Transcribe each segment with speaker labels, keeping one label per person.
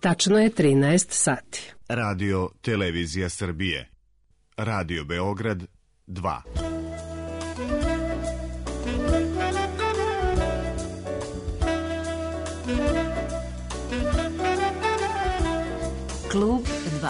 Speaker 1: Tačno je 13 sati.
Speaker 2: Radio Televizija Srbije. Radio Beograd 2.
Speaker 3: Klub 2.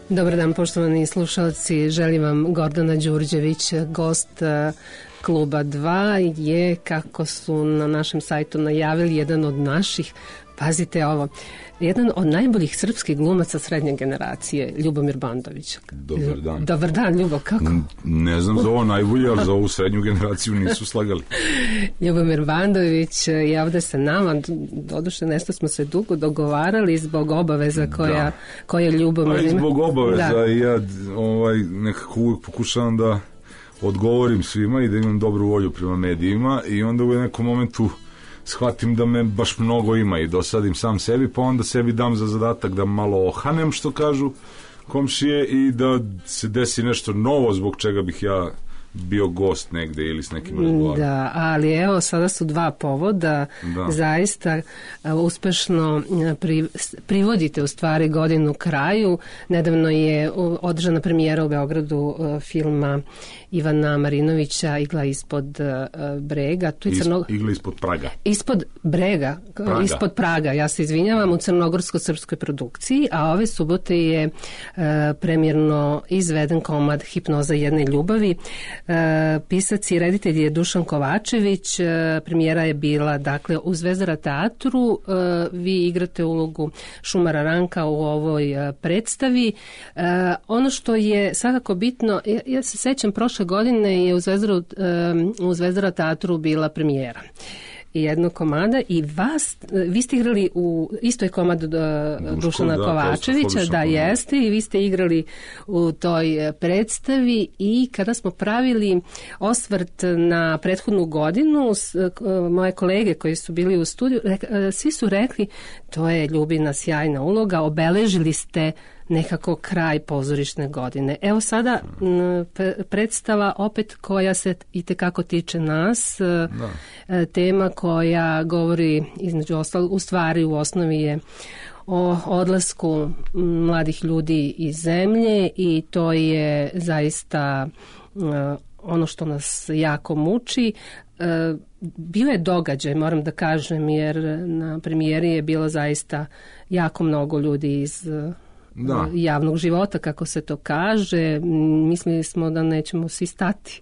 Speaker 1: Dobar dan, poštovani slušalci. Želim vam Gordana Đurđević, gost Kluba 2 je, kako su na našem sajtu najavili, jedan od naših, pazite ovo, jedan od najboljih srpskih glumaca srednje generacije, Ljubomir Bandović.
Speaker 4: Dobar dan.
Speaker 1: Dobar dan, Ljubo, kako?
Speaker 4: Ne znam za ovo najbolje, ali za ovu srednju generaciju nisu slagali.
Speaker 1: Ljubomir Bandović je ovde sa nama, doduše nešto smo se dugo dogovarali zbog obaveza koja Ljubomir ima.
Speaker 4: Zbog obaveza ja nekako uvijek pokušavam da odgovorim svima i da imam dobru volju prema medijima i onda u nekom momentu shvatim da me baš mnogo ima i dosadim sam sebi, pa onda sebi dam za zadatak da malo ohanem, što kažu komšije, i da se desi nešto novo zbog čega bih ja bio gost negde ili s nekim razgovarom.
Speaker 1: Da, ali evo, sada su dva povoda. Zaista uspešno privodite u stvari godinu kraju. Nedavno je održana premijera u Beogradu filma Ivana Marinovića Igla ispod brega.
Speaker 4: Igla ispod Praga.
Speaker 1: Ispod brega, ispod Praga, ja se izvinjavam, u crnogorsko-srpskoj produkciji, a ove subote je premijerno izveden komad Hipnoza jedne ljubavi. Pisac i reditelj je Dušan Kovačević. Premijera je bila, dakle, u Zvezdara teatru. Vi igrate ulogu Šumara Ranka u ovoj predstavi. Ono što je svakako bitno, ja se sećam, prošle godine je u Zvezdara teatru bila premijera jednog komada i vi ste igrali u istoj komadu Dušana Kovačevića, jeste, i vi ste igrali u toj predstavi, i kada smo pravili osvrt na prethodnu godinu, moje kolege koji su bili u studiju, svi su rekli, to je Ljubina sjajna uloga, obeležili ste nekako kraj pozorišne godine. Evo sada predstava opet koja se itekako tiče nas, tema koja govori između ostalog, u stvari u osnovi je o odlasku mladih ljudi iz zemlje, i to je zaista ono što nas jako muči. Bio je događaj, moram da kažem, jer na premijeri je bilo zaista jako mnogo ljudi iz javnog života, kako se to kaže. Mislili smo da nećemo svi stati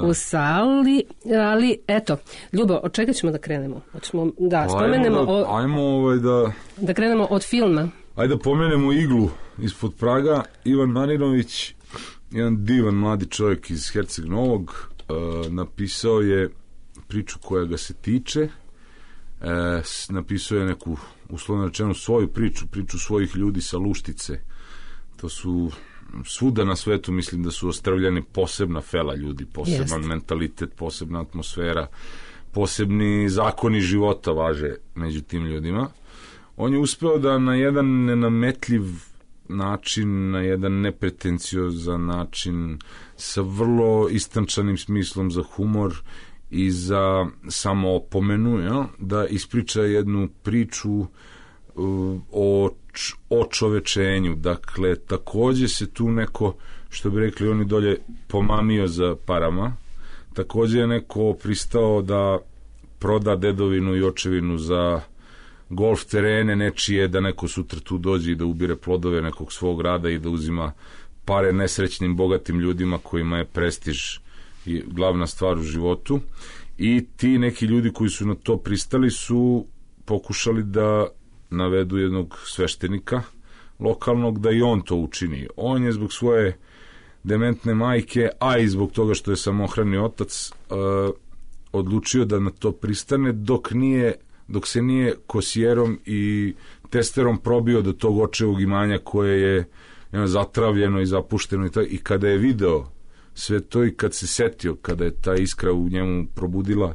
Speaker 1: u sali, ali eto, Ljubo, od čega ćemo da krenemo? Da krenemo od filma.
Speaker 4: Ajde da pomenemo Iglu ispod Praga. Ivan Marinović, jedan divan mladi čovjek iz Herceg Novog, napisao je priču koja ga se tiče, napisao je neku, uslovno rečeno, svoju priču svojih ljudi sa Luštice. To su svuda na svetu, mislim da su ostavljeni posebna fela ljudi, poseban mentalitet, posebna atmosfera, posebni zakoni života važe među tim ljudima. On je uspeo da na jedan nenametljiv način, na jedan nepretenciozan način, sa vrlo istančanim smislom za humor i za samoopomenu, da ispriča jednu priču o čovečenju. Dakle, takođe se tu neko, što bi rekli oni dolje, pomamio za parama. Takođe je neko pristao da proda dedovinu i očevinu za golf terene nečije, da neko sutra tu dođe i da ubire plodove nekog svog rada i da uzima pare nesrećnim, bogatim ljudima kojima je prestiž i glavna stvar u životu. I ti neki ljudi koji su na to pristali su pokušali da navedu jednog sveštenika lokalnog da i on to učini. On je zbog svoje dementne majke, a i zbog toga što je samohrani otac, odlučio da na to pristane, dok dok se nije kosijerom i testerom probio do tog očevog imanja koje je zatravljeno i zapušteno i kada je video sve to i kad se setio, kada je ta iskra u njemu probudila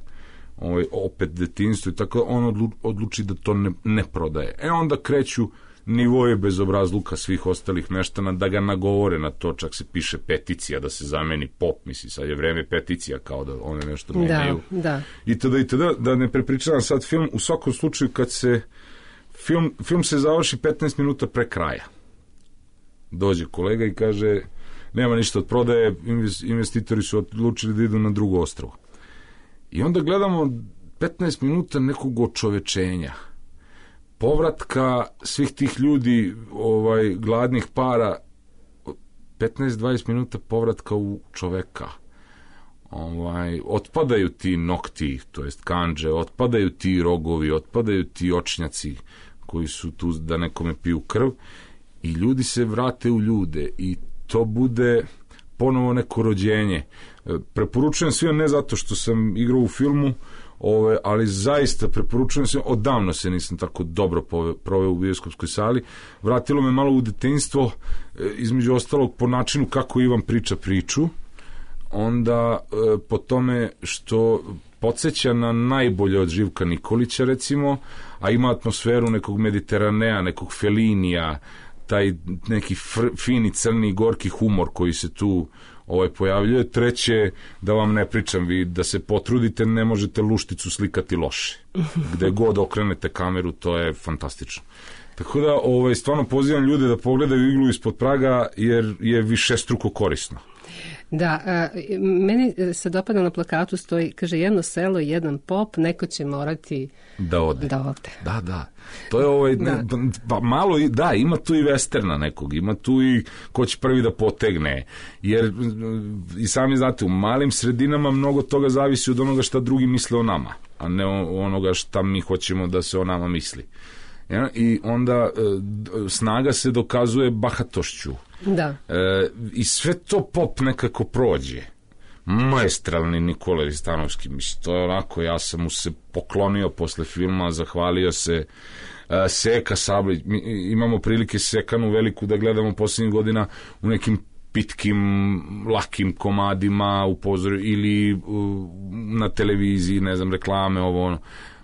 Speaker 4: opet detinjstvo i tako, on odluči da to ne prodaje. Onda kreću nivoje bezobrazluka svih ostalih meštana da ga nagovore na to, čak se piše peticija da se zameni pop, misli, sad je vreme peticija, kao da one nešto menjaju.
Speaker 1: Da.
Speaker 4: I tada, da ne prepričavam sad film, u svakom slučaju kad se film se završi 15 minuta pre kraja. Dođe kolega i kaže, nema ništa od prodaje, investitori su odlučili da idu na drugo ostrvo. I onda gledamo 15 minuta nekog očovečenja, povratka svih tih ljudi, gladnih para, 15-20 minuta povratka u čoveka. Otpadaju ti nokti, to jest kandže, otpadaju ti rogovi, otpadaju ti očnjaci koji su tu da nekome piju krv i ljudi se vrate u ljude i to bude ponovo neko rođenje. Preporučujem svima, ne zato što sam igrao u filmu, ali zaista preporučujem svima, odavno se nisam tako dobro proveo u bioskopskoj sali. Vratilo me malo u detinjstvo, između ostalog po načinu kako Ivan priča priču, onda po tome što podsjeća na najbolje od Živka Nikolića, recimo, a ima atmosferu nekog Mediteranea, nekog Felinija, taj neki fini, crni, gorki humor koji se tu pojavljuje. Treće, da vam ne pričam, vi da se potrudite, ne možete lušticu slikati loše. Gde god okrenete kameru, to je fantastično. Tako da, stvarno pozivam ljude da pogledaju Iglu ispod praga, jer je višestruko korisno.
Speaker 1: Da, meni se dopada na plakatu stoji, kaže, jedno selo, jedan pop, neko će morati
Speaker 4: da ode. Da. To je pa malo, da, ima tu i westerna nekog, ima tu i ko će prvi da potegne, jer i sami znate, u malim sredinama mnogo toga zavisi od onoga šta drugi misle o nama, a ne onoga šta mi hoćemo da se o nama misli. Ja? I onda snaga se dokazuje bahatošću.
Speaker 1: Da.
Speaker 4: I sve to pop nekako prođe. Maestralni Nikola Ristanovski, mislim, to je onako, ja sam mu se poklonio posle filma, zahvalio se. Seka Sablić, mi imamo prilike Sekanu veliku da gledamo posljednjih godina u nekim pitkim, lakim komadima u pozorju ili na televiziji, ne znam, reklame, ovo ono.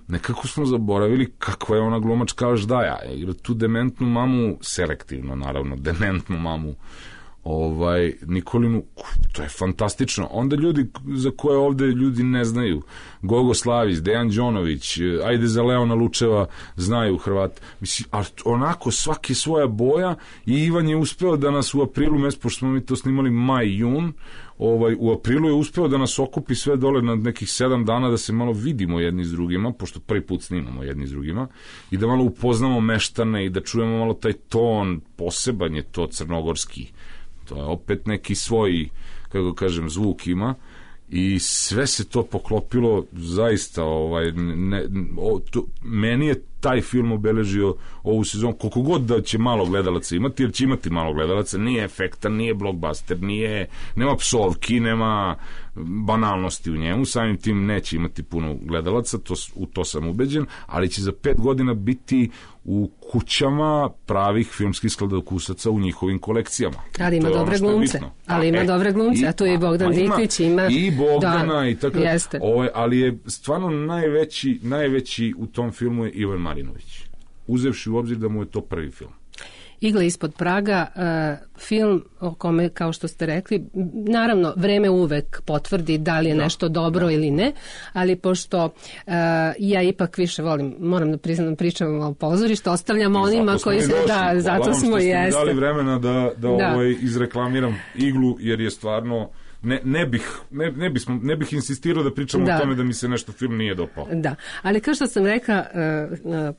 Speaker 4: Nekako smo zaboravili kakva je ona glumačka Aždaja. Igra tu dementnu mamu, selektivno naravno, dementnu mamu Nikolinu, to je fantastično. Onda ljudi za koje ovde ljudi ne znaju, Gogo Slavić, Dejan Đonović, ajde za Leona Lučeva znaju Hrvati. Mislim, ali onako svaki svoja boja i Ivan je uspeo da nas u aprilu mesecu, pošto smo mi to snimali maj-jun, u aprilu je uspeo da nas okupi sve dole na nekih 7 dana da se malo vidimo jedni s drugima, pošto prvi put snimamo jedni s drugima, i da malo upoznamo meštane i da čujemo malo taj ton, poseban je to crnogorski. To je opet neki svoj, kako kažem, zvuk ima i sve se to poklopilo zaista, meni je taj film obeležio ovu sezonu, koliko god da će malo gledalaca imati, jer će imati malo gledalaca, nije efektan, nije blockbuster, nema psovki, nema banalnosti u njemu, samim tim neće imati puno gledalaca, u to sam ubeđen, ali će za 5 godina biti u kućama pravih filmskih skladokusaca u njihovim kolekcijama.
Speaker 1: Ali ima dobre glumce. A tu je i Bogdan Diklić, ima
Speaker 4: i Bogdana i tako. Ali je stvarno najveći u tom filmu je Ivan Marinović. Uzevši u obzir da mu je to prvi film.
Speaker 1: Igla ispod praga, film o kome, kao što ste rekli, naravno, vreme uvek potvrdi da li je nešto dobro ili ne, ali pošto ja ipak više volim, moram da priznam, pričam o pozorištu, ostavljam onima koji se, zato smo i jeste.
Speaker 4: Dali vremena da izreklamiram Iglu, jer je stvarno ne bih insistirao da pričam o tome da mi se nešto film nije dopao.
Speaker 1: Da, ali kao što sam rekla,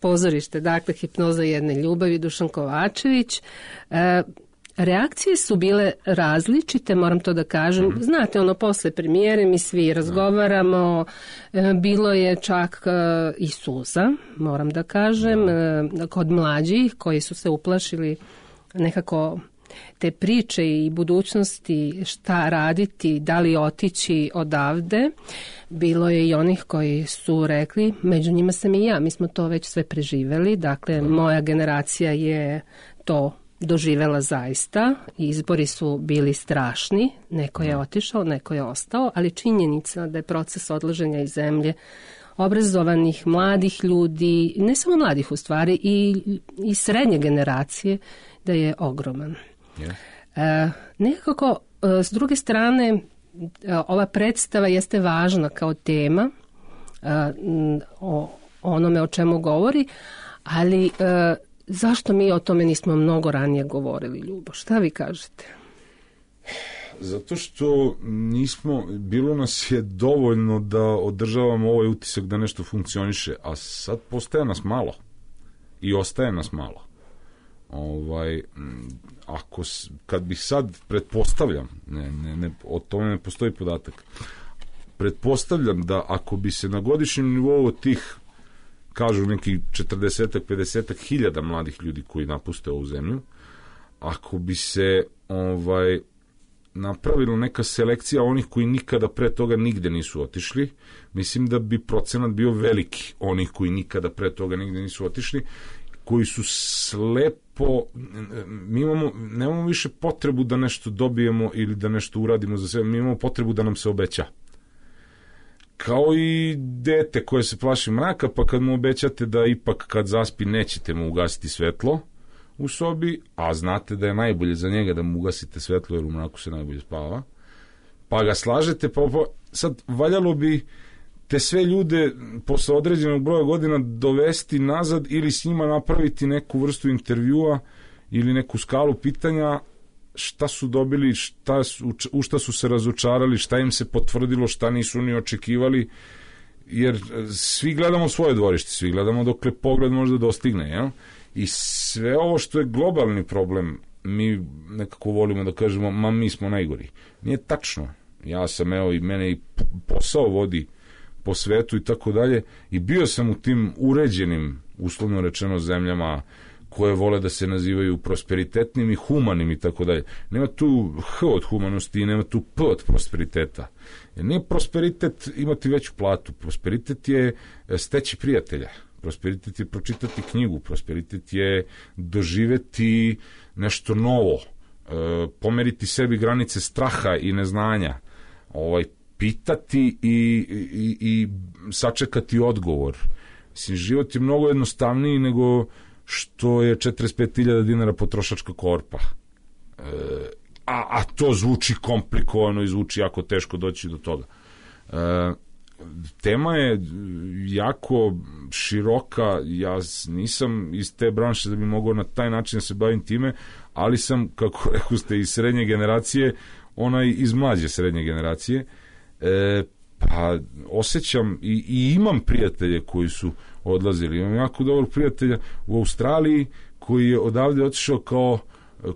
Speaker 1: pozorište, dakle, Hipnoza jedne ljubavi, Dušan Kovačević, reakcije su bile različite, moram to da kažem. Znate, posle premijere mi svi razgovaramo, bilo je čak i suza, moram da kažem, kod mlađih koji su se uplašili nekako te priče i budućnosti šta raditi, da li otići odavde, bilo je i onih koji su rekli, među njima sam i ja, mi smo to već sve preživeli, dakle moja generacija je to doživela zaista, izbori su bili strašni, neko je otišao, neko je ostao, ali činjenica da je proces odlaženja iz zemlje obrazovanih, mladih ljudi, ne samo mladih u stvari, i srednje generacije, da je ogroman. Nekako, s druge strane, ova predstava jeste važna kao tema o onome o čemu govori, ali zašto mi o tome nismo mnogo ranije govorili, Ljubo? Šta vi kažete?
Speaker 4: Zato što nismo, bilo nas je dovoljno da održavamo ovaj utisak da nešto funkcioniše, a sad postaje nas malo i ostaje nas malo. Kad bih sad, pretpostavljam, o tome ne postoji podatak, pretpostavljam da ako bi se na godišnjem nivou tih, kažu neki 40-50 hiljada mladih ljudi koji napuste ovu zemlju, ako bi se napravila neka selekcija onih koji nikada pre toga nigde nisu otišli, mislim da bi procenat bio veliki onih koji nikada pre toga nigde nisu otišli, koji su slepo, nemamo više potrebu da nešto dobijemo ili da nešto uradimo za sebe, mi imamo potrebu da nam se obeća. Kao i dete koje se plaši mraka, pa kad mu obećate da ipak kad zaspi nećete mu ugasiti svetlo u sobi, a znate da je najbolje za njega da mu ugasite svetlo jer u mraku se najbolje spava, pa ga slažete, pa sad valjalo bi te sve ljude posle određenog broja godina dovesti nazad ili s njima napraviti neku vrstu intervjua ili neku skalu pitanja šta su dobili, u šta su se razočarali, šta im se potvrdilo, šta nisu ni očekivali, jer svi gledamo svoje dvorište, svi gledamo dokle pogled može da dostigne, jel? I sve ovo što je globalni problem, mi nekako volimo da kažemo, mi smo najgori. Nije tačno. Ja sam, i mene i posao vodi po svetu i tako dalje, i bio sam u tim uređenim, uslovno rečeno, zemljama koje vole da se nazivaju prosperitetnim i humanim i tako dalje. Nema tu H od humanosti i nema tu P od prosperiteta. Jer nije prosperitet imati veću platu. Prosperitet je steći prijatelja. Prosperitet je pročitati knjigu. Prosperitet je doživeti nešto novo. Pomeriti sebi granice straha i neznanja. Pitati i sačekati odgovor. Mislim, život je mnogo jednostavniji nego što je 45.000 dinara potrošačka korpa. A to zvuči komplikovano i zvuči jako teško doći do toga. Tema je jako široka, ja nisam iz te branše da bi mogao na taj način da se bavim time, ali sam, kako rekao ste, iz srednje generacije, onaj iz mlađe srednje generacije, pa osjećam i imam prijatelje koji su odlazili. Imam jako dobrog prijatelja u Australiji koji je odavde otišao kao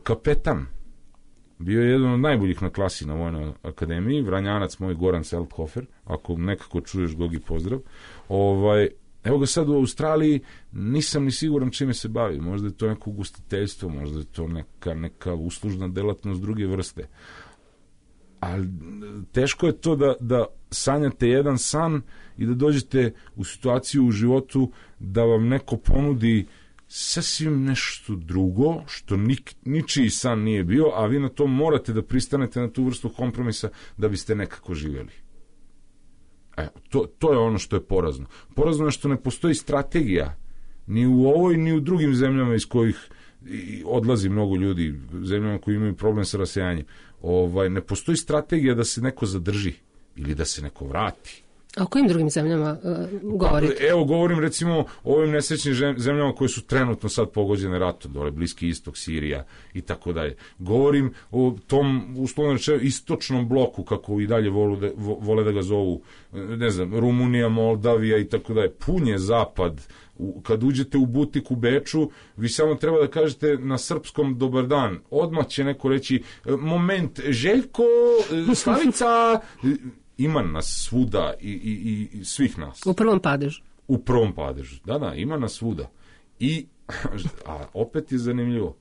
Speaker 4: kapetan. Bio je jedan od najboljih na klasi na Vojnoj akademiji, Vranjanac moj Goran Selthofer, ako nekako čuješ, Gogi, pozdrav. Evo ga sad u Australiji, nisam ni siguran čime se bavi. Možda je to neko ugostiteljstvo, možda je to neka uslužna delatnost druge vrste. Ali teško je to da sanjate jedan san i da dođete u situaciju u životu da vam neko ponudi sasvim nešto drugo, što ničiji san nije bio, a vi na to morate da pristanete na tu vrstu kompromisa da biste nekako živjeli. To je ono što je porazno. Porazno je što ne postoji strategija ni u ovoj, ni u drugim zemljama iz kojih odlazi mnogo ljudi, zemljama koji imaju problem sa rasejanjem. Ne postoji strategija da se neko zadrži ili da se neko vrati.
Speaker 1: A o kojim drugim zemljama govorite?
Speaker 4: Evo, govorim recimo o ovim nesrećnim zemljama koje su trenutno sad pogođene ratom, dole Bliski istok, Sirija i tako dalje. Govorim o tom, uslovno rečeno, istočnom bloku, kako i dalje vole da ga zovu, ne znam, Rumunija, Moldavija i tako dalje. Pun je zapad. Kad uđete u butik u Beču, vi samo treba da kažete na srpskom dobar dan. Odmah će neko reći, moment, Željko, Slavica... Ima nas svuda i svih nas.
Speaker 1: U prvom padežu.
Speaker 4: U prvom padežu, da, ima nas svuda. A opet je zanimljivo.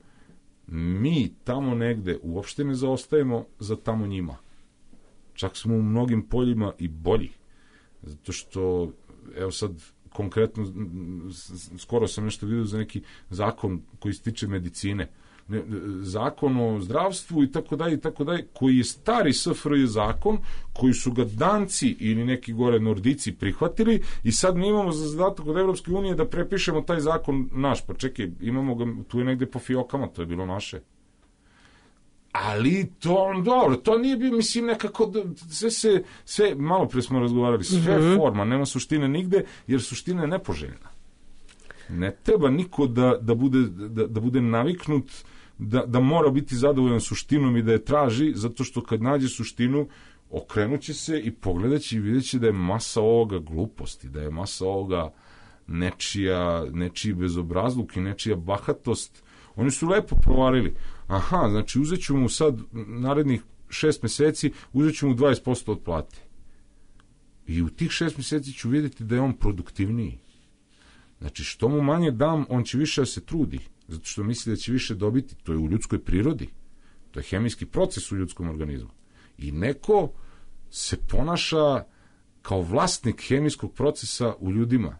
Speaker 4: mi tamo negde uopšte ne zaostajemo za tamo njima. Čak smo u mnogim poljima i bolji. Zato što, evo sad, konkretno, skoro sam nešto vidio za neki zakon koji se tiče medicine. Zakon o zdravstvu i tako dalje, koji je stari SFRJ zakon, koji su ga Danci ili neki gore Nordici prihvatili i sad mi imamo za zadatak od Evropske unije da prepišemo taj zakon naš. Pa čekaj, imamo ga, tu je negde po fiokama, to je bilo naše. Ali to, dobro, to nije bio, mislim, nekako, sve malo pre smo razgovarali, sve forma, nema suštine nigde, jer suština je nepoželjna. Ne treba niko da bude naviknut da mora biti zadovoljan suštinom i da je traži, zato što kad nađe suštinu, okrenuće se i pogledaće i vidjet će da je masa ovoga gluposti, da je masa ovoga nečiji bezobrazluk i nečija bahatost. Oni su lepo provarili. Aha, znači uzet ću mu sad narednih 6 meseci, uzet ću mu 20% od plate. I u tih 6 meseci ću vidjeti da je on produktivniji. Znači, što mu manje dam, on će više da se trudi, zato što misli da će više dobiti. To je u ljudskoj prirodi. To je hemijski proces u ljudskom organizmu. I neko se ponaša kao vlasnik hemijskog procesa u ljudima.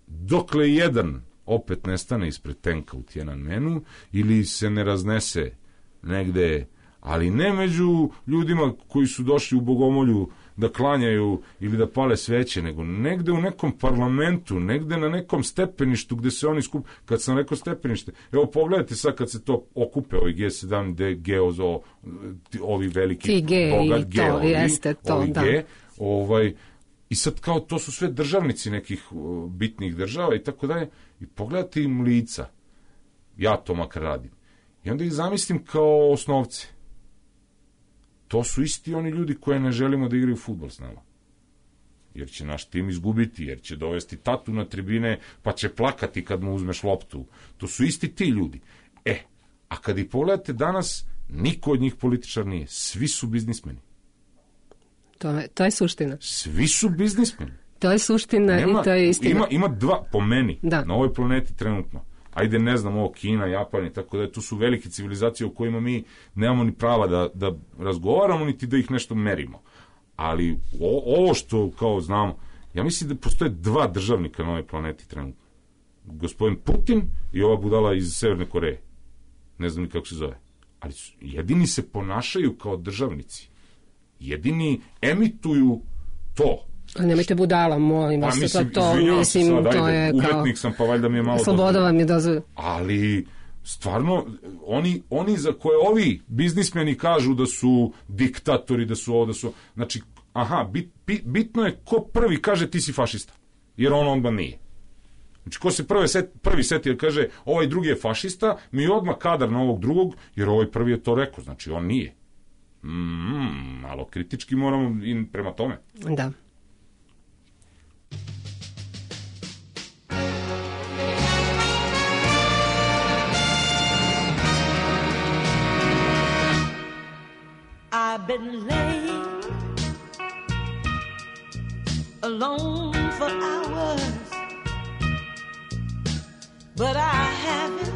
Speaker 4: Dokle jedan opet nestane ispred tenka u Tiananmenu ili se ne raznese negde, ali ne među ljudima koji su došli u Bogomolju da klanjaju ili da pale sveće, nego negde u nekom parlamentu, negde na nekom stepeništu gde se oni skup. Kad sam rekao stepenište, evo pogledajte sad kad se to okupe, ovi G7, G, ovi veliki bogat G, ovi G, i sad kao to su sve državnici nekih bitnih država i tako dalje, i pogledajte im lica, ja to makar radim, i onda ih zamislim kao osnovce. To su isti oni ljudi koje ne želimo da igraju fudbal s nama. Jer će naš tim izgubiti, jer će dovesti tatu na tribine, pa će plakati kad mu uzmeš loptu. To su isti ti ljudi. A kad ih pogledate danas, niko od njih političar nije. Svi su biznismeni.
Speaker 1: To je suština.
Speaker 4: Svi su biznismeni.
Speaker 1: To je suština i to je istina.
Speaker 4: Ima dva, po meni, na ovoj planeti trenutno. Ajde, ne znam, ovo Kina, Japan i tako da, tu su velike civilizacije u kojima mi nemamo ni prava da razgovaramo, niti da ih nešto merimo. Ali ovo što kao znamo, ja mislim da postoje dva državnika na ovoj planeti trenutno. Gospodin Putin i ova budala iz Severne Koreje. Ne znam ni kako se zove. Ali jedini se ponašaju kao državnici. Jedini emituju to.
Speaker 1: A nemojte budala, molim vas.
Speaker 4: Mislim,
Speaker 1: to je kao...
Speaker 4: Umetnik sam, pa valjda mi je malo...
Speaker 1: Sloboda vam je dozvoljena.
Speaker 4: Ali, stvarno, oni za koje ovi biznismeni kažu da su diktatori, da su ovo, da su... Znači, bitno je ko prvi kaže ti si fašista. Jer on onda nije. Znači, ko se prvi seti jer kaže ovaj drugi je fašista, mi odmah kadar na ovog drugog, jer ovaj prvi je to rekao. Znači, on nije. Malo kritički moramo i prema tome.
Speaker 1: Da.
Speaker 3: I've been laying alone for hours, but I haven't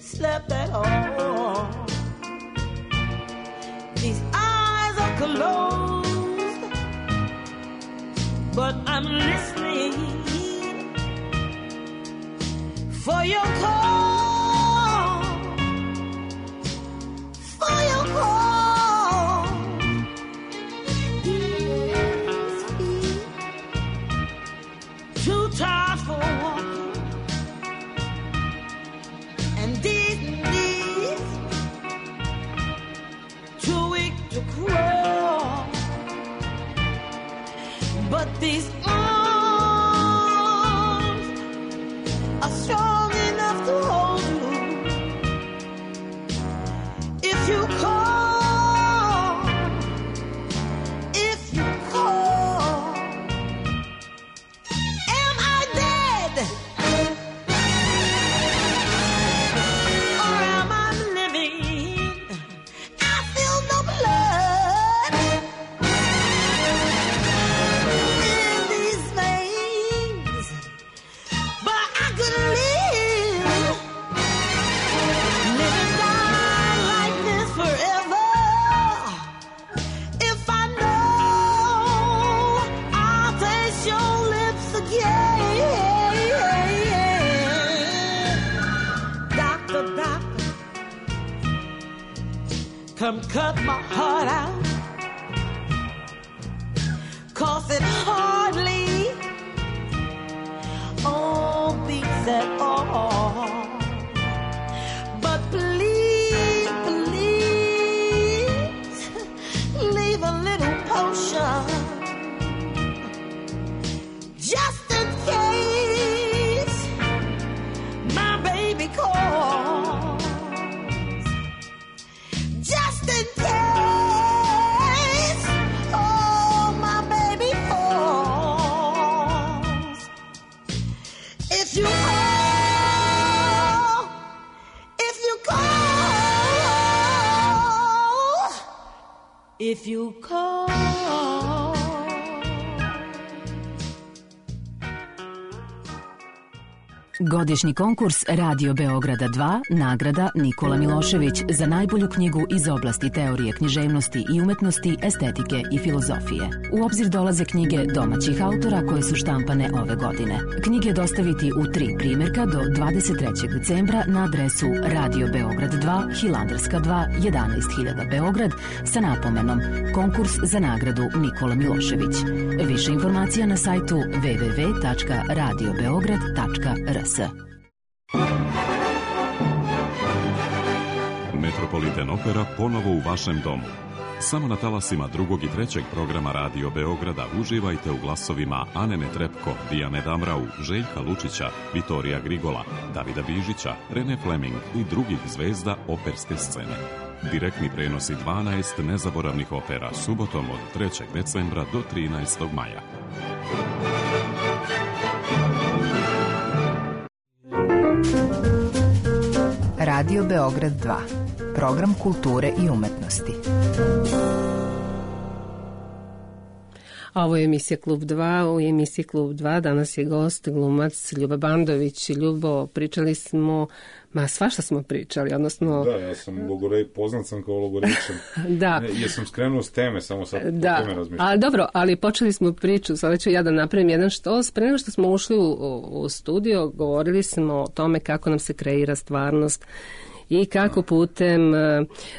Speaker 3: slept at all. These eyes are closed, but I'm listening for your call. But these arms are strong enough to come cut my heart out, 'cause it hardly beats at all. But please, please leave a little potion, just in case my baby calls, just in case, oh, my baby calls. If you call, if you call, if you call.
Speaker 5: Godišnji konkurs Radio Beograda 2, nagrada Nikola Milošević za najbolju knjigu iz oblasti teorije književnosti i umetnosti, estetike i filozofije. U obzir dolaze knjige domaćih autora koje su štampane ove godine. Knjige dostaviti u 3 primjerka do 23. decembra na adresu Radio Beograd 2, Hilandarska 2, 11.000 Beograd sa napomenom Konkurs za nagradu Nikola Milošević. Više informacija na sajtu www.radiobeograd.rs.
Speaker 6: Metropolitan Opera ponovo u vašem domu. Samo na talasima 2. i 3. programa Radio Beograda uživajte u glasovima Ane Netrepko, Dijane Damrau, Željka Lučića, Vitorija Grigola, Davida Bižića, Rene Fleming i drugih zvezda operske scene. Direktni prenosi 12 nezaboravnih opera subotom od 3. decembra do 13. maja.
Speaker 7: Radio Beograd 2, program kulture i umetnosti.
Speaker 1: Ovo je emisija Klub 2, u emisiji Klub 2 danas je gost glumac Ljuba Bandović. Ljubo, pričali smo, svašta smo pričali, odnosno...
Speaker 4: Da, ja sam poznat sam kao logorečan.
Speaker 1: Da.
Speaker 4: Jesam skrenuo s teme, samo sad po tome razmišljam.
Speaker 1: Ali dobro, ali počeli smo priču, sada ću ja da napravim jedan štos. Pre nego što smo ušli u studio, govorili smo o tome kako nam se kreira stvarnost i kako putem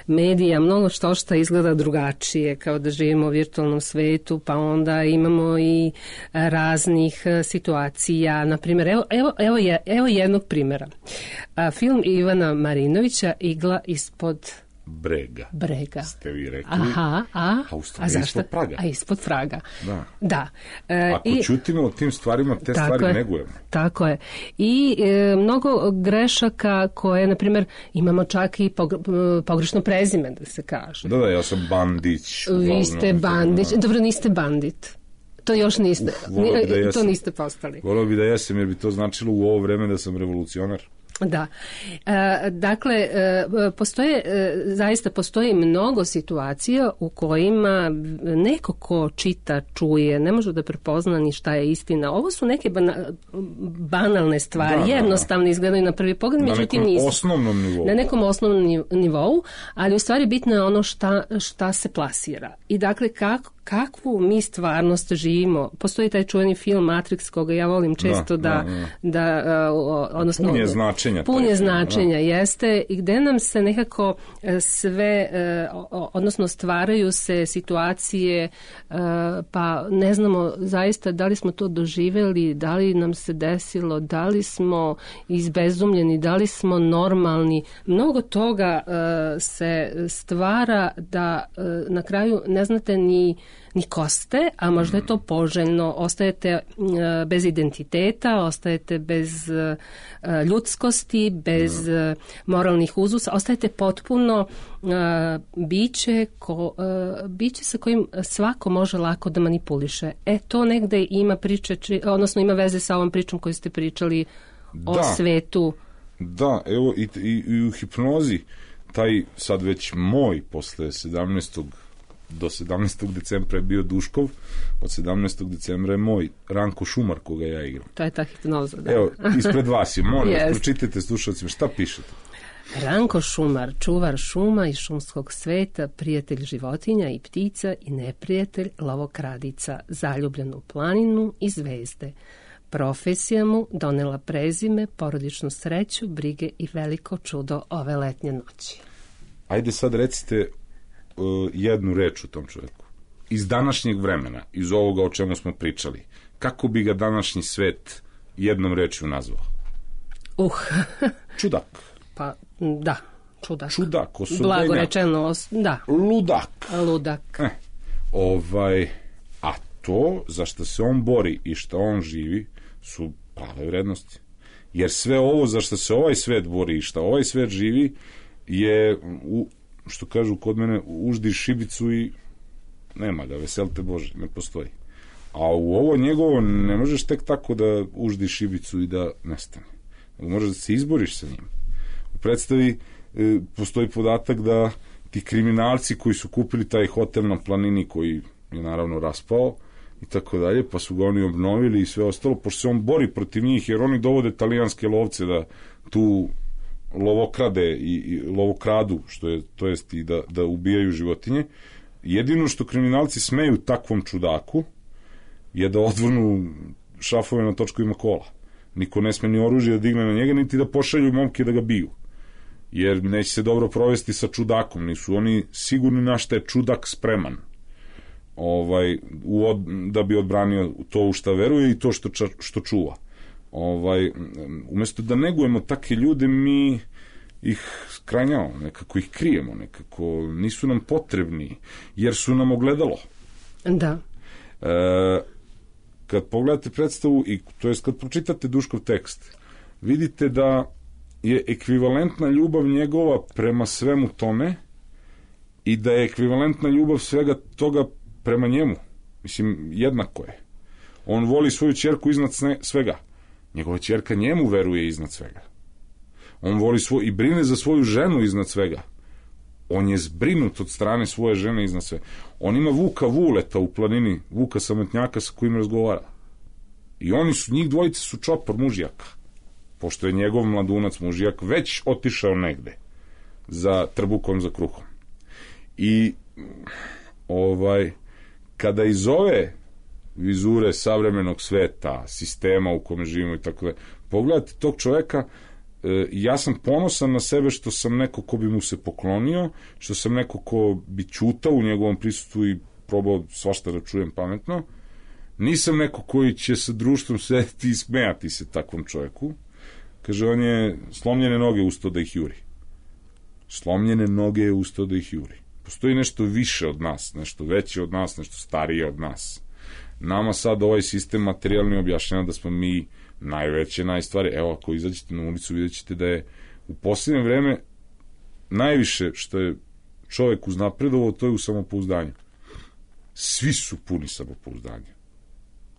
Speaker 1: medija mnogo što izgleda drugačije, kao da živimo u virtualnom svetu, pa onda imamo i raznih situacija. Naprimjer, evo jednog primjera. Film Ivana Marinovića Igla ispod Brega.
Speaker 4: Ste vi rekli.
Speaker 1: A
Speaker 4: zašto? Ispod Praga.
Speaker 1: A ispod Praga. Da.
Speaker 4: Ako čutimo o tim stvarima, te stvari negujemo.
Speaker 1: Tako je. I mnogo grešaka koje, na primjer, imamo čak i pogrešno prezime, da se kaže.
Speaker 4: Da, ja sam Bandić.
Speaker 1: Vi ste Bandić. Dobro, niste bandit. To još niste. To niste postali.
Speaker 4: Volio bi da jesam, jer bi to značilo u ovo vreme da sam revolucionar.
Speaker 1: Da. Dakle, zaista postoji mnogo situacija u kojima neko ko čita, čuje, ne može da prepozna ni šta je istina. Ovo su neke banalne stvari, jednostavno izgledaju na prvi pogled, međutim nisu. Na nekom osnovnom nivou, ali u stvari bitno je ono šta se plasira. I dakle, kakvu mi stvarnost živimo. Postoji taj čuveni film Matrix, koga ja volim često odnosno pun je značenja, jeste, i gde nam se nekako sve, odnosno stvaraju se situacije, pa ne znamo zaista da li smo to doživjeli, da li nam se desilo, da li smo izbezumljeni, da li smo normalni. Mnogo toga se stvara da na kraju ne znate ni ko ste, a možda je to poželjno. Ostajete bez identiteta, ostajete bez ljudskosti, bez moralnih uzusa, ostajete potpuno biće sa kojim svako može lako da manipuliše. To negde ima odnosno ima veze sa ovom pričom koju ste pričali o svetu.
Speaker 4: Da, evo i u hipnozi taj sad već moj posle 17. do 17. decembra je bio Duškov, od 17. decembra je moj Ranko Šumar koga ja igram.
Speaker 1: To je ta hipnoza, da.
Speaker 4: Evo, ispred vas je, molim vas, pročitajte slušalcima, šta pišete?
Speaker 1: Ranko Šumar, čuvar šuma i šumskog sveta, prijatelj životinja i ptica i neprijatelj lovokradica, zaljubljen u planinu i zvezde. Profesija mu donela prezime, porodičnu sreću, brige i veliko čudo ove letnje noći.
Speaker 4: Ajde sad recite jednu reč u tom čovjeku. Iz današnjeg vremena, iz ovoga o čemu smo pričali, kako bi ga današnji svet jednom rečju nazvao? Čudak.
Speaker 1: Pa, da, čudak.
Speaker 4: Čudak, osobenjak.
Speaker 1: Blago rečeno, da.
Speaker 4: Ludak. A to za što se on bori i što on živi su prave vrednosti. Jer sve ovo za što se ovaj svet bori i što ovaj svet živi je, što kažu kod mene, uždi šibicu i nema ga, veselte Bože, ne postoji. A u ovo njegovo ne možeš tek tako da uždiš šibicu i da nestane. Možeš da se izboriš sa njim. U predstavi postoji podatak da ti kriminalci koji su kupili taj hotel na planini, koji je naravno raspao i tako dalje, pa su ga oni obnovili i sve ostalo, pošto se on bori protiv njih, jer oni dovode talijanske lovce da tu lovokrade i lovokradu, što je, to jest i da ubijaju životinje. Jedino što kriminalci smeju takvom čudaku je da odvrnu šrafove na točkovima kola. Niko ne sme ni oružje da digne na njega, niti da pošalju momke da ga biju. Jer neće se dobro provesti sa čudakom. Nisu oni sigurni na šta je čudak spreman. Da bi odbranio to u šta veruje i to što čuva. Umesto da negujemo takve ljude, mi ih skranjamo, nekako ih krijemo, nekako nisu nam potrebni, jer su nam ogledalo.
Speaker 1: Da.
Speaker 4: Kad pogledate predstavu, to jest kad pročitate Duškov tekst, vidite da je ekvivalentna ljubav njegova prema svemu tome i da je ekvivalentna ljubav svega toga prema njemu. Mislim, jednako je. On voli svoju ćerku iznad svega. Njegova ćerka njemu veruje iznad svega. On voli i brine za svoju ženu iznad svega. On je zbrinut od strane svoje žene iznad svega. On ima Vuka Vuleta u planini, Vuka Samotnjaka sa kojim razgovara. I njih dvojice su čopor mužjaka. Pošto je njegov mladunac mužjak već otišao negde za trbukom, za kruhom. I kada iz ove vizure savremenog sveta, sistema u kome živimo i tako da, pogledajte tog čoveka, ja sam ponosan na sebe što sam neko ko bi mu se poklonio, što sam neko ko bi ćutao u njegovom prisustvu i probao svašta da čujem pametno. Nisam neko koji će sa društvom sedeti i smejati se takvom čoveku. Kaže, on je slomljene noge ustao da ih juri. Slomljene noge je ustao da ih juri. Postoji nešto više od nas, nešto veće od nas, nešto starije od nas. Nama sad ovaj sistem materijalni objašnjava da smo mi najveće, najstvari. Evo, ako izađete na ulicu, vidjet ćete da je u posljednje vreme najviše što je čovek uznapredovao, to je u samopouzdanju. Svi su puni samopouzdanja.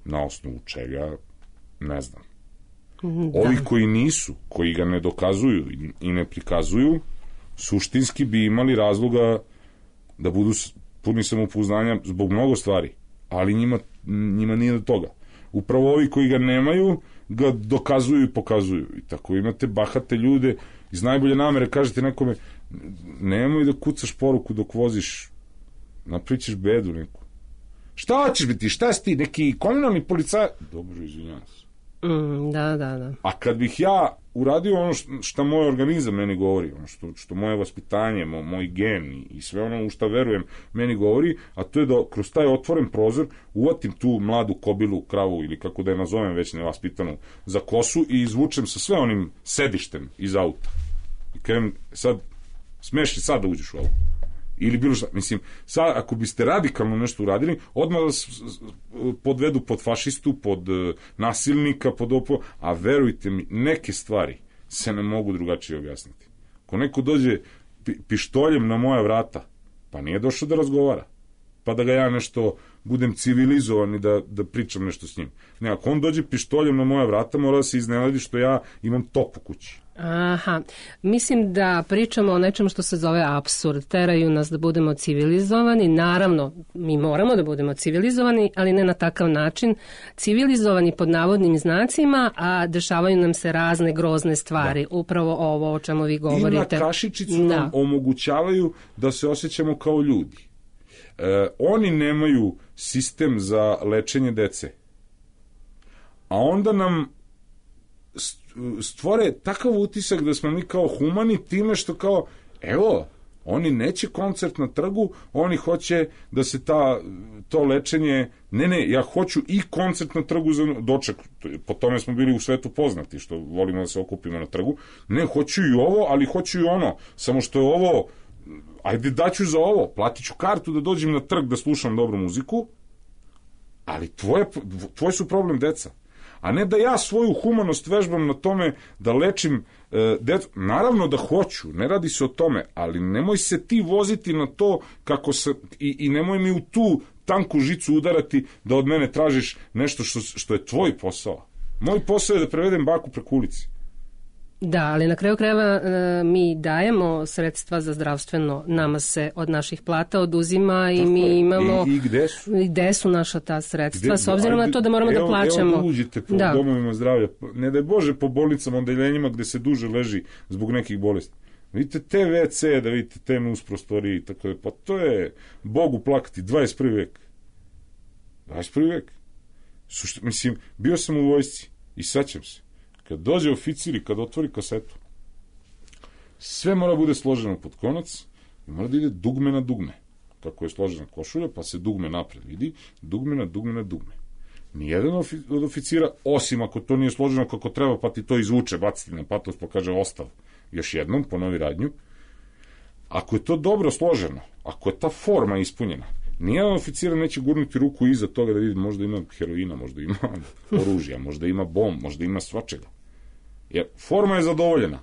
Speaker 4: Na osnovu čega, ne znam. Ovi koji nisu, koji ga ne dokazuju i ne prikazuju, suštinski bi imali razloga da budu puni samopouzdanja zbog mnogo stvari, ali njima nije do toga. Upravo ovi koji ga nemaju ga dokazuju i pokazuju. I tako imate bahate ljude iz najbolje namere, kažete nekome, nemoj da kucaš poruku dok voziš, napričaš bedu neku. Šta ćeš biti, šta si ti, neki komunalni policaj? Dobro, izvinjam se.
Speaker 1: Da.
Speaker 4: A kad bih ja uradio ono što moj organizam meni govori, ono što moje vaspitanje, moj gen i sve ono u što verujem meni govori, a to je da kroz taj otvoren prozor uvatim tu mladu kobilu, kravu ili kako da je nazovem već nevaspitanu za kosu i izvučem sa sve onim sedištem iz auta. I kažem, sad, smeš li sad da uđeš u auto? Ili bilo šta, mislim, sad ako biste radikalno nešto uradili, odmah vas podvedu pod fašistu, pod nasilnika, a verujte mi, neke stvari se ne mogu drugačije objasniti. Ako neko dođe pištoljem na moja vrata, pa nije došao da razgovara, pa da ga ja nešto budem civilizovan i da pričam nešto s njim. Ne, ako on dođe pištoljem na moja vrata, mora da se iznenadi što ja imam top u kući.
Speaker 1: Aha, mislim da pričamo o nečem što se zove apsurd. Teraju nas da budemo civilizovani. Naravno, mi moramo da budemo civilizovani, ali ne na takav način. Civilizovani pod navodnim znacima, a dešavaju nam se razne grozne stvari. Da. Upravo ovo o čemu vi govorite.
Speaker 4: I na kašičicu nam omogućavaju da se osjećamo kao ljudi. Oni nemaju sistem za lečenje dece. A onda nam stvore takav utisak da smo mi kao humani time što kao, evo, Oni neće koncert na trgu, oni hoće da se to lečenje, ne, ja hoću i koncert na trgu za doček, po tome smo bili u svetu poznati, što volimo da se okupimo na trgu, ne, hoću i ovo, ali hoću i ono, samo što je ovo, ajde daću za ovo, platit ću kartu da dođem na trg da slušam dobru muziku, ali tvoj su problem deca. A ne da ja svoju humanost vežbam na tome da lečim decu. Naravno da hoću, ne radi se o tome, ali nemoj se ti voziti na to kako se, i nemoj mi u tu tanku žicu udarati da od mene tražiš nešto što je tvoj posao. Moj posao je da prevedem baku preko ulici.
Speaker 1: Da, ali na kraju krajeva mi dajemo sredstva za zdravstveno, nama se od naših plata oduzima i mi imamo...
Speaker 4: I gde su?
Speaker 1: I gde su naša ta sredstva, s obzirom na to da moramo da plaćamo.
Speaker 4: Evo uđite po domovima zdravlja, ne daj Bože po bolnicama, odeljenjima gde se duže leži zbog nekih bolesti. Vidite te WC, da vidite te nus prostorije, tako da, pa to je Bogu plakati, 21. vek. 21. vek. Mislim, bio sam u vojsci i sećam se. Kad dođe oficir i kad otvori kasetu, sve mora bude složeno pod konac i mora da ide dugme na dugme. Kako je složena košulja, pa se dugme napred vidi, dugme na dugme na dugme. Nijedan od oficira, osim ako to nije složeno kako treba, pa ti to izvuče, baciti na patos, pa kaže ostav. Još jednom, ponovi radnju. Ako je to dobro složeno, ako je ta forma ispunjena, nijedan oficira neće gurnuti ruku iza toga da vidi, možda ima heroina, možda ima oružja, možda ima bomb, možda ima svačega. Jer forma je zadovoljena.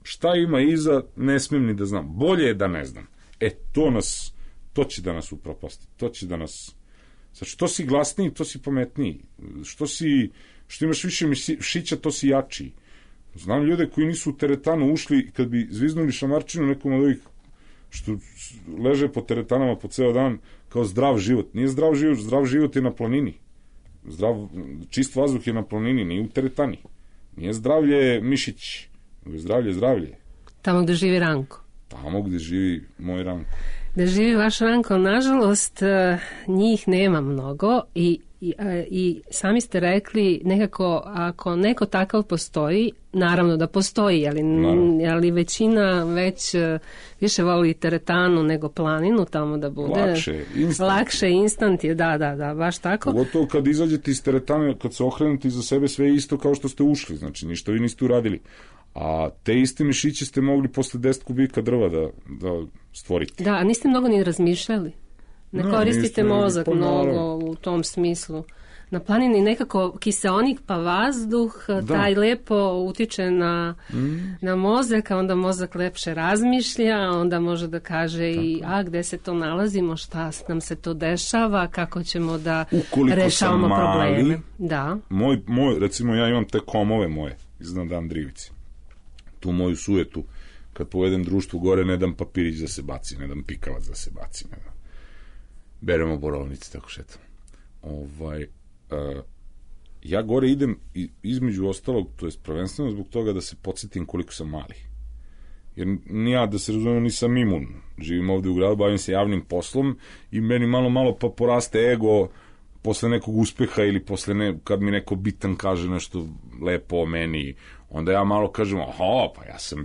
Speaker 4: Šta ima iza, ne smijem ni da znam. Bolje je da ne znam. To će da nas upropasti. To će da nas... Znači, što si glasniji, to si pametniji. Što imaš više mišića, to si jačiji. Znam ljude koji nisu u teretanu ušli, kad bi zviznuli šamarčinu nekom od ovih što leže po teretanama po ceo dan, kao zdrav život. Nije zdrav život je na planini. Čist vazduh je na planini, nije u teretani. Nije zdravlje mišić, nego je zdravlje.
Speaker 1: Tamo gde živi Ranko.
Speaker 4: Tamo gde živi moj Ranko.
Speaker 1: Da živi vaš Ranko, nažalost, njih nema mnogo i sami ste rekli, nekako, ako neko takav postoji, naravno da postoji, ali većina već više voli teretanu nego planinu tamo da bude. Lakše, instant je, da, baš tako.
Speaker 4: Pogotovo kad izađete iz teretane, kad se okrenete iza sebe, sve je isto kao što ste ušli, znači ništa vi niste uradili. A te iste mišiće ste mogli posle 10 kubika drva da stvorite.
Speaker 1: Da, a niste mnogo ni razmišljali. Ne koristite mozak mnogo u tom smislu. Na planini nekako kiseonik pa vazduh, taj lepo utiče na mozak, a onda mozak lepše razmišlja, onda može da kaže i gde se to nalazimo, šta nam se to dešava, kako ćemo da rešavamo probleme. Da.
Speaker 4: Recimo ja imam te komove moje iznad Andrijevice. Tu moju sujetu, kad povedem društvu gore, ne dam papirić da se baci, ne dam pikavac da se baci, ne dam. Beremo borovnice, tako šetam. Ja gore idem između ostalog, to je prvenstveno zbog toga da se podsjetim koliko sam mali. Jer ja, da se razumem, nisam imun. Živim ovde u gradu, bavim se javnim poslom i meni malo pa poraste ego posle nekog uspeha ili kad mi neko bitan kaže nešto lepo o meni, onda ja malo kažem, pa ja sam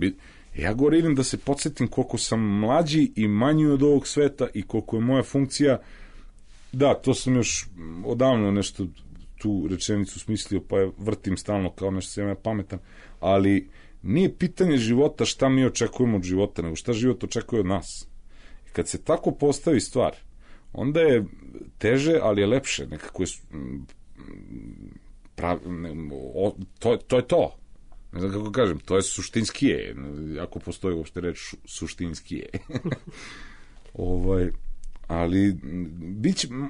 Speaker 4: ja gore idem da se podsjetim koliko sam mlađi i manji od ovog sveta i koliko je moja funkcija. Da, to sam još odavno nešto tu rečenicu smislio, pa je vrtim stalno kao nešto sam ja pametan, ali nije pitanje života šta mi očekujemo od života, nego šta život očekuje od nas. I kad se tako postavi stvar, onda je teže, ali je lepše. Nekako je to je to. Ne znam kako kažem, to je suštinskije, ako postoji uopšte reč suštinskije. Ali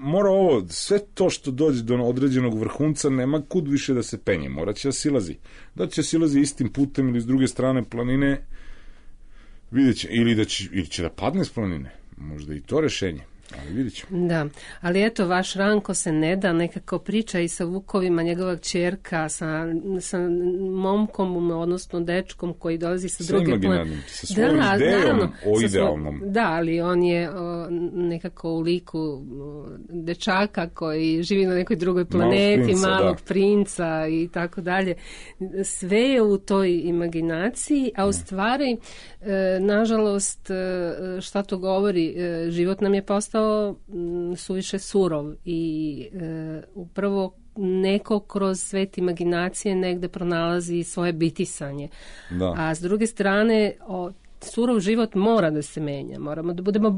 Speaker 4: mora ovo, sve to što dođe do određenog vrhunca, nema kud više da se penje, mora će da silazi. Da će silazi istim putem ili s druge strane planine, vidjet će, ili će da padne s planine, možda i to rešenje. Ali vidit ćemo.
Speaker 1: Da, ali eto, vaš Ranko se ne da, nekako priča i sa Vukovima, njegova kćerka, sa momkom, odnosno dečkom koji dolazi sa druge planete.
Speaker 4: Sa svojom idejom o idealnom.
Speaker 1: Da, ali on je nekako u liku dečaka koji živi na nekoj drugoj planeti, malog princa i tako dalje. Sve je u toj imaginaciji, a u stvari, nažalost, šta to govori, život nam je postao suviše surov i upravo neko kroz svet imaginacije negde pronalazi svoje bitisanje. Da. A s druge strane, surov život mora da se menja, moramo da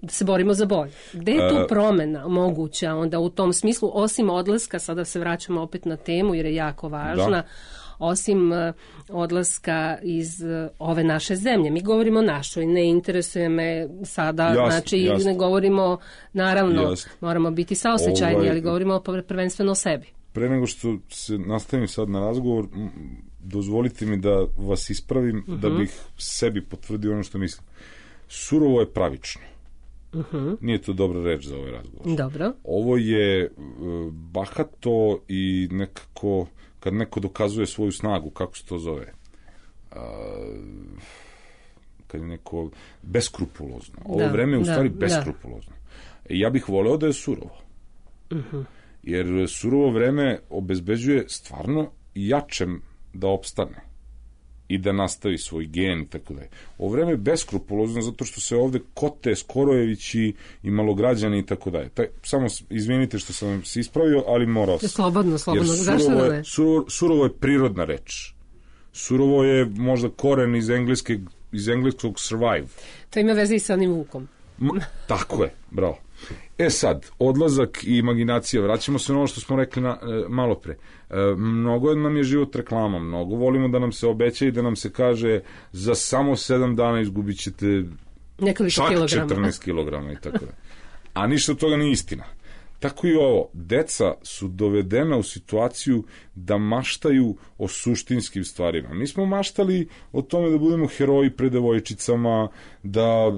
Speaker 1: se borimo za bolje. Gde je tu promena moguća onda u tom smislu, osim odlaska, sada se vraćamo opet na temu jer je jako važna, osim odlaska iz ove naše zemlje. Mi govorimo o našoj, ne interesuje me sada, ne govorimo, naravno, moramo biti saosećajni, ali govorimo prvenstveno o sebi.
Speaker 4: Pre nego što se nastavim sad na razgovor, dozvolite mi da vas ispravim, da bih sebi potvrdio ono što mislim. Surovo je pravično. Nije to dobra reč za ovaj razgovor.
Speaker 1: Dobro.
Speaker 4: Ovo je bahato i nekako kad neko dokazuje svoju snagu, kako se to zove, kad je neko beskrupulozno. Ovo vreme je u stvari beskrupulozno. Ja bih voleo da je surovo. Jer surovo vreme obezbeđuje stvarno jačem da opstane i da nastavi svoj gen i tako dalje. Ovo vreme je beskrupulozno zato što se ovde kote Skorojevići i malograđani i tako dalje. Samo izvinite što sam se ispravio, ali morao sam.
Speaker 1: Slobodno. Zašto da ne?
Speaker 4: Surovo je prirodna reč. Surovo je možda koren iz engleskog survive.
Speaker 1: To ima veze i sa onim Vukom.
Speaker 4: Tako je, bravo. Sad, odlazak i imaginacija, vraćamo se na ono što smo rekli malo pre. Mnogo nam je život reklama, mnogo volimo da nam se obeća i da nam se kaže za samo 7 dana izgubit ćete čak 14 kilograma i tako da. A ništa od toga nije istina. Tako i ovo, deca su dovedena u situaciju da maštaju o suštinskim stvarima. Mi smo maštali o tome da budemo heroji pred devojčicama, da,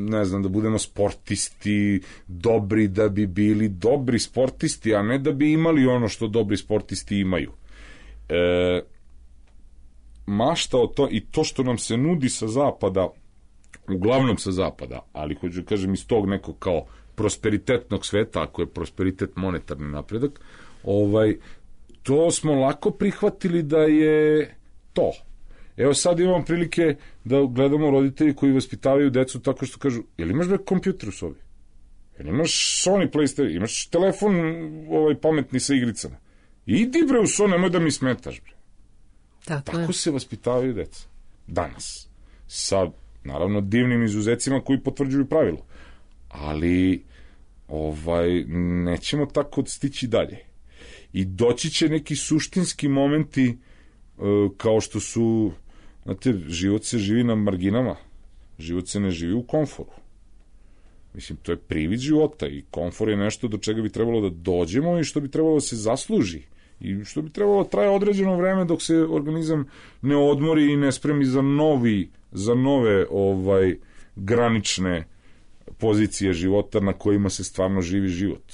Speaker 4: ne znam, da budemo sportisti, dobri da bi bili dobri sportisti, a ne da bi imali ono što dobri sportisti imaju. Mašta o to i to što nam se nudi sa zapada, uglavnom sa zapada, ali hoću kažem iz tog nekog kao prosperitetnog sveta, ako je prosperitet monetarni napredak, to smo lako prihvatili da je to. Evo sad imamo prilike da gledamo roditelji koji vaspitavaju decu tako što kažu, jel imaš kompjuter u sobi? Jel imaš Sony PlayStation? Imaš telefon pametni sa igricama? Idi bre u Sony, nemoj da mi smetaš bre. Tako se vaspitavaju deca. Danas. Sa, naravno, divnim izuzecima koji potvrđuju pravilo. Ali nećemo tako stići dalje. I doći će neki suštinski momenti kao što su, znate, život se živi na marginama, život se ne živi u komforu. Mislim, to je privid života i komfor je nešto do čega bi trebalo da dođemo i što bi trebalo da se zasluži i što bi trebalo da traje određeno vreme dok se organizam ne odmori i ne spremi za nove granične pozicije života na kojima se stvarno živi život.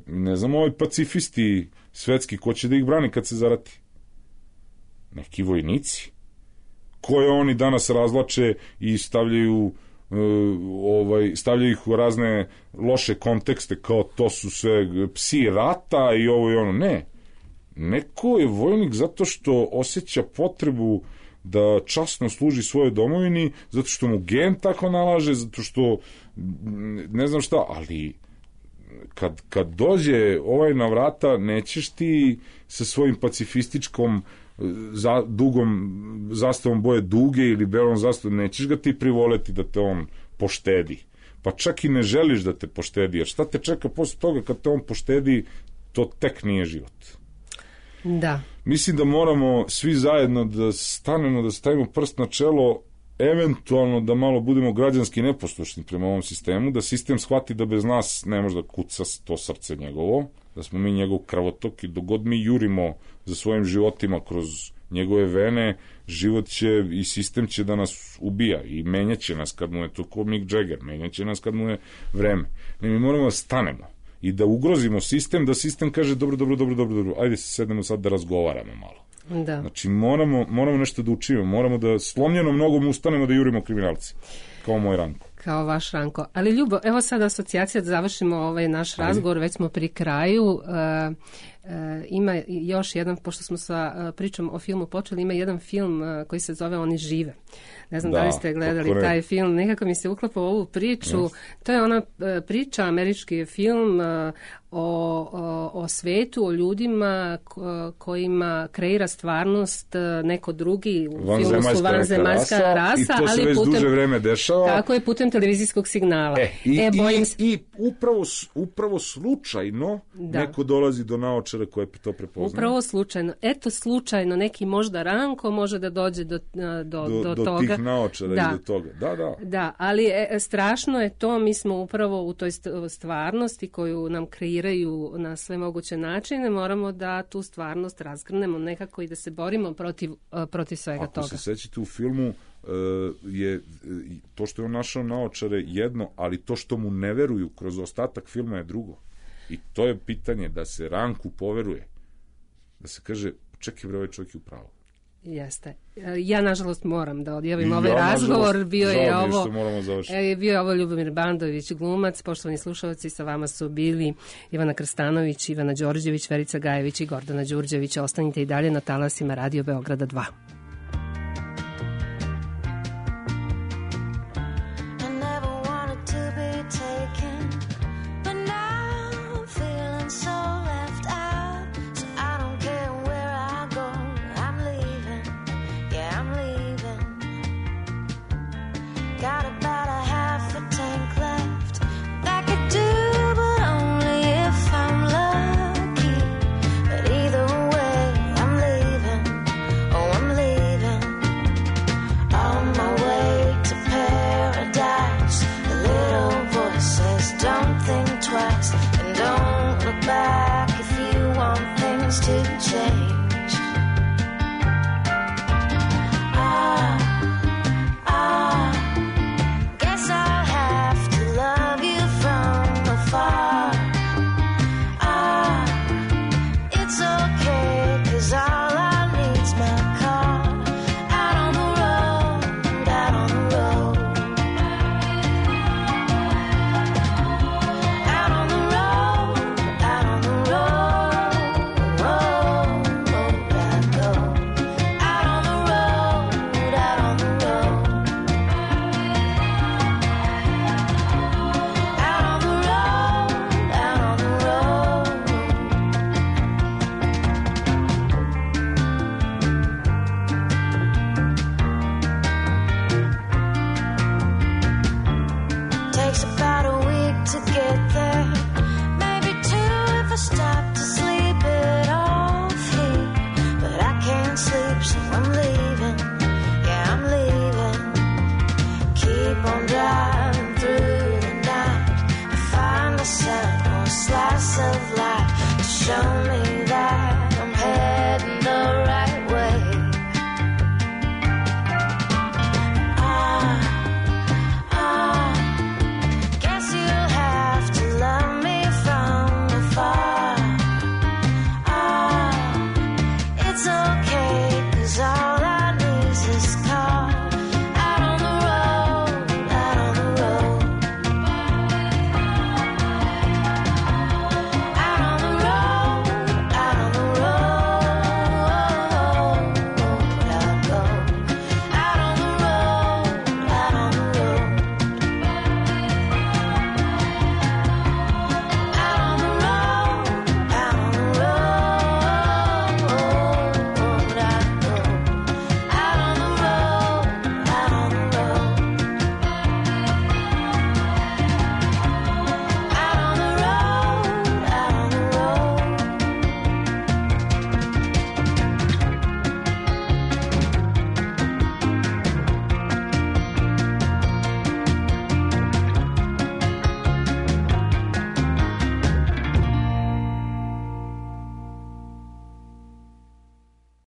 Speaker 4: Ne znam, pacifisti svetski, ko će da ih brani kad se zarati? Neki vojnici koje oni danas razvlače i stavljaju ih u razne loše kontekste, kao to su sve psi rata i ovo i ono. Ne. Neko je vojnik zato što osjeća potrebu da časno služi svojoj domovini, zato što mu gen tako nalaže, zato što ne znam šta, ali kad dođe na vrata, nećeš ti sa svojim pacifističkom dugom zastavom boje duge ili belom zastavom, nećeš ga ti privoleti da te on poštedi. Pa čak i ne želiš da te poštedi, jer šta te čeka posle toga kad te on poštedi, to tek nije život.
Speaker 1: Da.
Speaker 4: Mislim da moramo svi zajedno da stavimo prst na čelo, eventualno da malo budemo građanski neposlušni prema ovom sistemu, da sistem shvati da bez nas ne može da kuca to srce njegovo, da smo mi njegov krvotok i dok god mi jurimo za svojim životima kroz njegove vene, život će i sistem će da nas ubija i menjaće nas kad mu je to ko Mick Jagger, menjaće nas kad mu je vreme. Ne, mi moramo da stanemo i da ugrozimo sistem, da sistem kaže dobro, ajde se sednemo sad da razgovaramo malo.
Speaker 1: Da.
Speaker 4: Znači moramo nešto da učimo, moramo da slomljenom nogom ustanemo da jurimo kriminalci, kao moj Ranko.
Speaker 1: Kao vaš Ranko. Ali Ljubo, evo sad asocijacija da završimo ovaj naš razgovor, već smo pri kraju. Ima još jedan, pošto smo sa pričom o filmu počeli, ima jedan film koji se zove Oni žive. Ne znam da li ste gledali taj film, nekako mi se uklapa u ovu priču. Yes. To je ona priča, američki film o svetu, o ljudima kojima kreira stvarnost neko drugi. U filmu su vanzemaljska rasa,
Speaker 4: i to se već duže vreme dešava.
Speaker 1: Tako je, putem televizijskog signala.
Speaker 4: I upravo slučajno neko dolazi do naočara koje to prepoznaje.
Speaker 1: Upravo slučajno. Eto, slučajno neki možda Ranko može da dođe do toga.
Speaker 4: Tih naočara i do toga.
Speaker 1: Da, ali strašno je to, mi smo upravo u toj stvarnosti koju nam kreiraju na sve moguće načine, moramo da tu stvarnost razgrnemo nekako i da se borimo protiv svega toga.
Speaker 4: Ako se sećate u filmu, je to što je on našao naočare jedno, ali to što mu ne veruju kroz ostatak filma je drugo. I to je pitanje da se Ranku poveruje. Da se kaže, čekaj bre, ovaj čovjek je u pravu.
Speaker 1: Jeste. Ja, nažalost, moram da odjavim ovaj razgovor. Bio je ovo Ljubomir Bandović, glumac. Poštovani slušalci, sa vama su bili Ivana Krstanović, Ivana Đorđević, Verica Gajević i Gordana Đurđević. Ostanite i dalje na talasima Radio Beograda 2. Show me